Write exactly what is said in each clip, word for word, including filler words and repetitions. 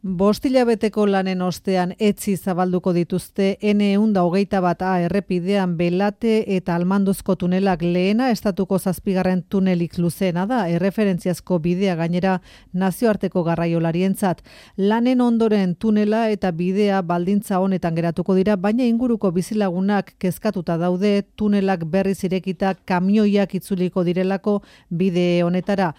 Bost hilabeteko lanen ostean etzi zabalduko dituzte ene ehun eta hogeita bat A errepidean Belate eta Almanduzko tunelak. Lehena estatuko zazpigarren tunelik luzeena da, erreferentziazko bidea gainera nazioarteko garraiolarientzat. Lanen ondoren tunela eta bidea baldintza honetan geratuko dira, baina inguruko bizilagunak kezkatuta daude tunelak berriz irekita kamioiak itzuliko direlako bide honetara.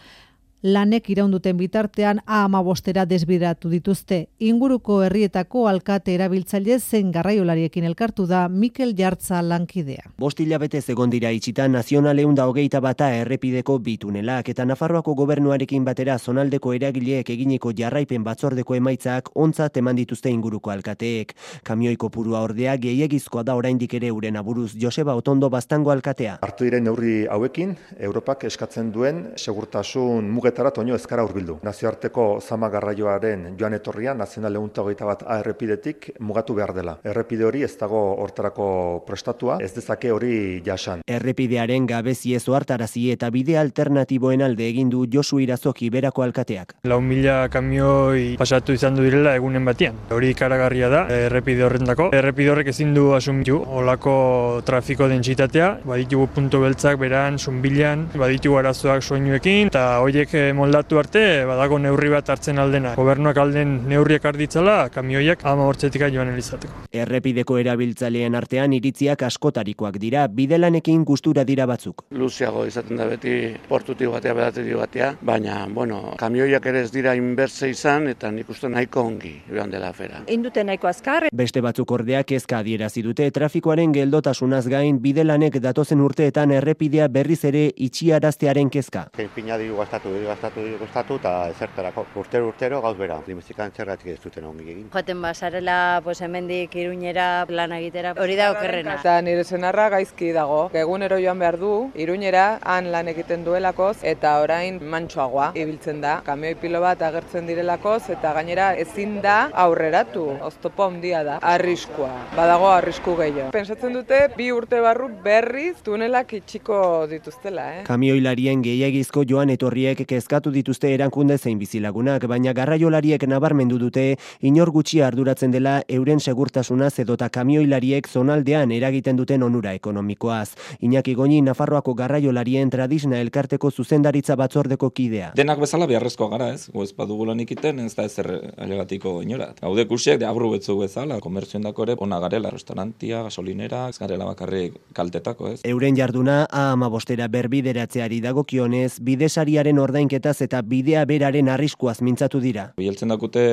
Lanek iraunduten bitartean A hamabostera desbideratu dituzte. Inguruko herrietako alkate erabiltzaile zen garraiolariekin elkartu da Mikel Jartza lankidea. Bost hilabete egon dira itxita nazional ehun eta hogeita bata errepideko bi tunelak eta Nafarroako gobernuarekin batera zonaldeko eragileek eginiko jarraipen batzordeko emaitzak ontzat eman dituzte inguruko alkateek. Kamioi kopurua ordea gehiegizkoa da oraindik ere euren aburuz. Joseba Otondo Baztango alkatea. Hartu diren neurri hauekin, Europak eskatzen duen segurtasun mugetara toño ezkara hurbildu. Nazioarteko zama garraioaren joan etorria nazional ehun eta hogeita bat A errepidetik mugatu behar dela. Errepide hori ez dago hortarako prestatua, ez dezake hori jasan. Errepidearen gabezi ez ohartarazi eta bide alternatiboen alde egin du Josu Irazoki berako alkateak. Lau mila kamioi pasatu izan du direla egunen batian. Hori ikaragarria da errepide horrendako. Errepide horrek ezin du asumitu olako trafiko dentsitatea, baditugu puntu beltzak beran, zunbilan, baditugu arazoak soinuekin eta horiek moldatu arte badago neurri bat hartzen aldena. Gobernuak alden neurriak arditzala kamioiak hamabostzetik joan elizateko. Errepideko erabiltzaileen artean iritziak askotarikoak dira, bidelanekin gustura dira batzuk. Luzeago izaten da beti portutik batea bedatetik batea, baina bueno, kamioiak ere ez dira inbertze izan eta nik uste nahiko ongi joan dela afera. Indute nahiko azkar. Beste batzuk ordea kezka adierazi dute trafikoaren geldotasunaz gain bidelanek datozen urteetan errepidea berriz ere itxiaraztearen kezka. Pinadiru gastatu gastatu gastatu eta ezertarako urtero urtero gauz bera. Limuzikan zergatik ez duten ongi egin. Joaten basarela, pues hemendik Iruñera plan egitera. Hori da okerrena. Eta nire senarra gaizki dago. Egunero joan behar du Iruñera han lan egiten duelakoz eta orain mantsoagoa ibiltzen da. Kamioi pilo bat agertzen direlakoz eta gainera ezin da aurreratu. Oztopo handia da. Arriskua. Badago arrisku gehiago. Pentsatzen dute bi urte barru berriz tunelak itxiko dituztela, eh. Kamioilarien gehiegizko joan etorriek kezkatu dituzte erankunde zein bizilagunak, baina garraiolariek nabarmendu dute inor gutxi arduratzen dela euren segurtasunaz edota kamioilariek zonaldean eragiten duten onura ekonomikoaz. Iñaki Goñi Nafarroako garraiolarien Tradisna elkarteko zuzendaritza batzordeko kidea. Denak bezala beharrezkoa gara, ez? Gu ez badugu lan ikiten, ez da ezer alegatiko inorat. Haude kusiek de abru betzu bezala, komertzioen dako ere ona garela, restaurantia, gasolinera, ez garela bakarrik kaltetako, ez? Euren jarduna A hamabostera berbideratzeari dagokionez, bidesariaren ordainketaz eta bidea beraren arriskuaz mintzatu dira. Bieltzen dakute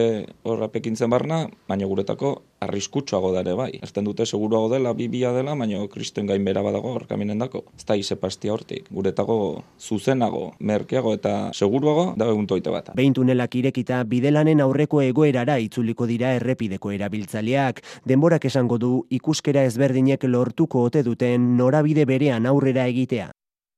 horra pekintzen barna, baina guretako arriskutsuago da ere bai. Ezten dute seguruago dela, bibia dela, baina kristen gain bera badago horkaminen dako. Ez da izepastia hortik. Guretako zuzenago, merkeago eta seguruago da egun toite bat. Behin tunelak irekita bidelanen aurreko egoerara itzuliko dira errepideko erabiltzaileak. Denborak esango du ikuskera ezberdinek lortuko ote duten norabide berean aurrera egitea.